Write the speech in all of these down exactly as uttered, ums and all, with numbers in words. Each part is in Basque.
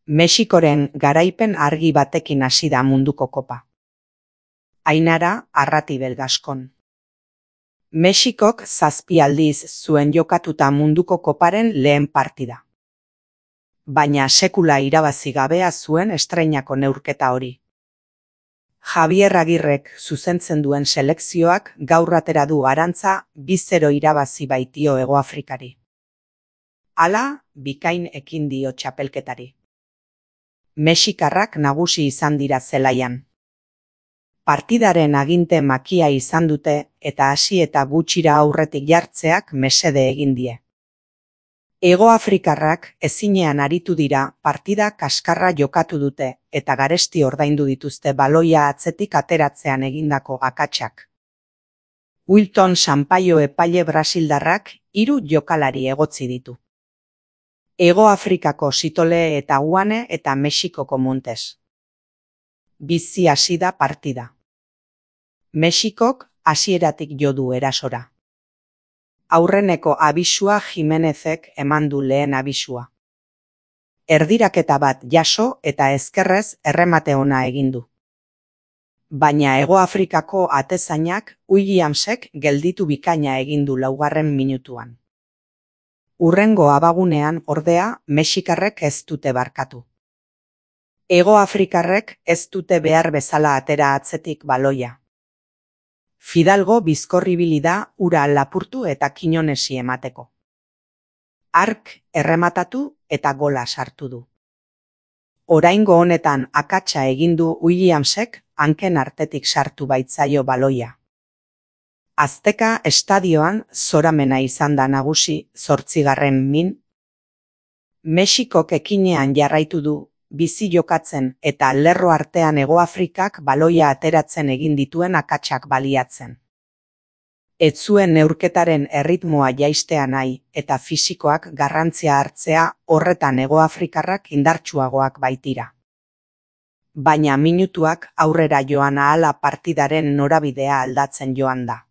Mexikoren garaipen argi batekin hasi da munduko kopa. Ainara Arratibel Gaskon. Mexikok zazpi aldiz zuen jokatuta munduko koparen lehen partida. Baina sekula irabazi gabea zuen estreinako neurketa hori. Javier Agirrek zuzentzen duen selekzioak gaur atera du arantza bi zero irabazi baitio Hegoafrikari. Hala, bikain ekin dio txapelketari. Mexikarrak nagusi izan dira zelaian. Partidaren aginte makia izan dute eta hasi eta gutxira aurretik jartzeak mesede egin die. Hegoafrikarrak ezinean aritu dira partida kaskarra jokatu dute eta garesti ordaindu dituzte baloia atzetik ateratzean egindako akatsak. Wilton Sampaio epaile brasildarrak hiru jokalari egotzi ditu. Hegoafrikako Sitole eta Uane eta Mexikoko Montes. Bizi hasi da partida. Mexikok hasieratik jo du erasora. Aurreneko abisua Jimenezek eman du lehen abisua. Erdiraketa bat jaso eta ezkerrez erremate ona egin du. Baina Hegoafrikako atezainak Williamsek gelditu bikaina egin du laugarren minutuan. Hurrengo abagunean ordea Mexikarrek ez dute barkatu. Hegoafrikarrek ez dute behar bezala atera atzetik baloia. Fidalgo bizkorribili da ura lapurtu eta Kinonesi emateko. Ark errematatu eta gola sartu du. Oraingo honetan akatsa egin du Williamsek hanken artetik sartu baitzaio baloia. Azteka estadioan zoramena izan da nagusi zortzigarren min. Mexikok ekinean jarraitu du, bizi jokatzen eta lerro artean Hegoafrikak baloia ateratzen egin dituen akatsak baliatzen. Ez zuen neurketaren erritmoa jaistea nahi eta fisikoak garrantzia hartzea horretan Hegoafrikarrak indartsuagoak baitira. Baina minutuak aurrera joan ahala partidaren norabidea aldatzen joan da.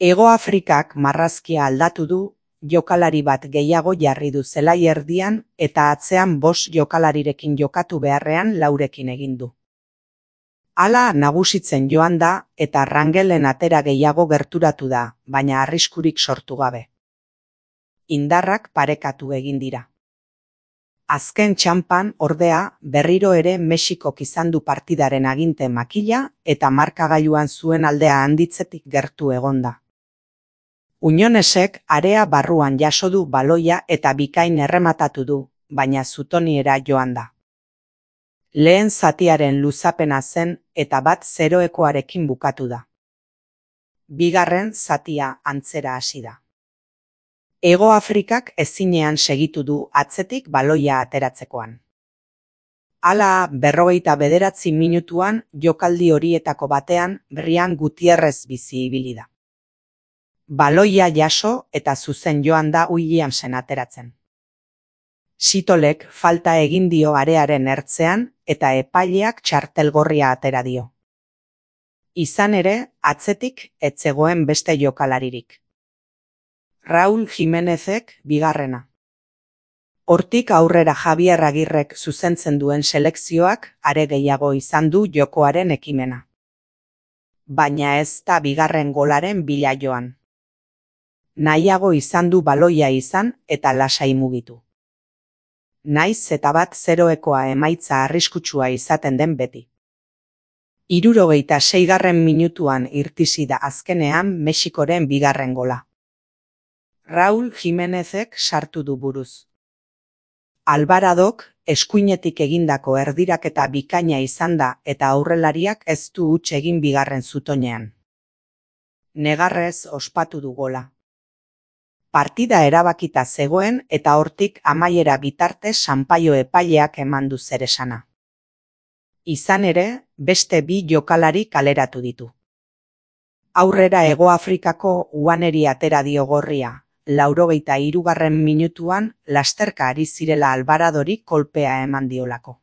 Hegoafrikak marrazkia aldatu du, jokalari bat gehiago jarri du zelai erdian eta atzean bost jokalarirekin jokatu beharrean laurekin egin du. Hala nagusitzen joan da eta Rangelen atera gehiago gerturatu da, baina arriskurik sortu gabe. Indarrak parekatu egin dira. Azken txanpan ordea berriro ere Mexikok izan du partidaren aginte makila eta markagailuan zuen aldea handitzetik gertu egonda. Unionesek area barruan jaso du baloia eta bikain errematatu du, baina zutoniera joan da. Lehen zatiaren luzapena zen eta bat zeroekoarekin bukatu da. Bigarren zatia antzera hasi da. Hegoafrikak ezinean segitu du atzetik baloia ateratzekoan. Hala, berrogeita bederatzi minutuan jokaldi horietako batean Brian Gutierrez bizi ibili da. Baloia jaso eta zuzen joan da Williamsen ateratzen. Sitolek falta egin dio arearen ertzean eta epaileak txartelgorria atera dio. Izan ere, atzetik ez zegoen beste jokalaririk. Raúl Jimenezek bigarrena. Hortik aurrera Javier Agirrek zuzentzen duen selekzioak are gehiago izan du jokoaren ekimena. Baina ez da bigarren golaren bila joan. Nahiago izan du baloia izan eta lasai mugitu. Naiz eta bat zeroekoa emaitza arriskutsua izaten den beti. Hirurogeita seigarren minutuan irtisi da azkenean Mexikoren bigarren gola. Raúl Jimenezek sartu du buruz. Alvaradok eskuinetik egindako erdiraketa bikaina izan da eta aurrelariak ez du huts egin bigarren zutoinean. Negarrez ospatu du gola. Partida erabakita zegoen eta hortik amaiera bitarte Sampaio epaileak eman du zeresana. Izan ere, beste bi jokalari kaleratu ditu. Aurrera Hegoafrikako Uaneri atera dio gorria, laurogeita hirugarren minutuan lasterka ari zirela Alvaradori kolpea eman diolako.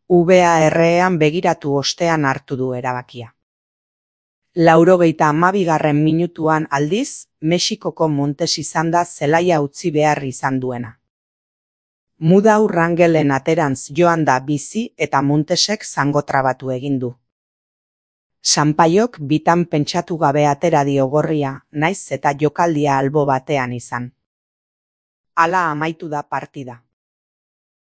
V A R-ean begiratu ostean hartu du erabakia. Laurogeita hamabigarren minutuan aldiz, Mexikoko Montes izan da zelaia utzi behar izan duena. Mudau Rangelen aterantz joan da bizi eta Montesek zango trabatu egin du. Sanpaiok bitan pentsatu gabe atera dio gorria, naiz eta jokaldia albo batean izan. Hala amaitu da partida.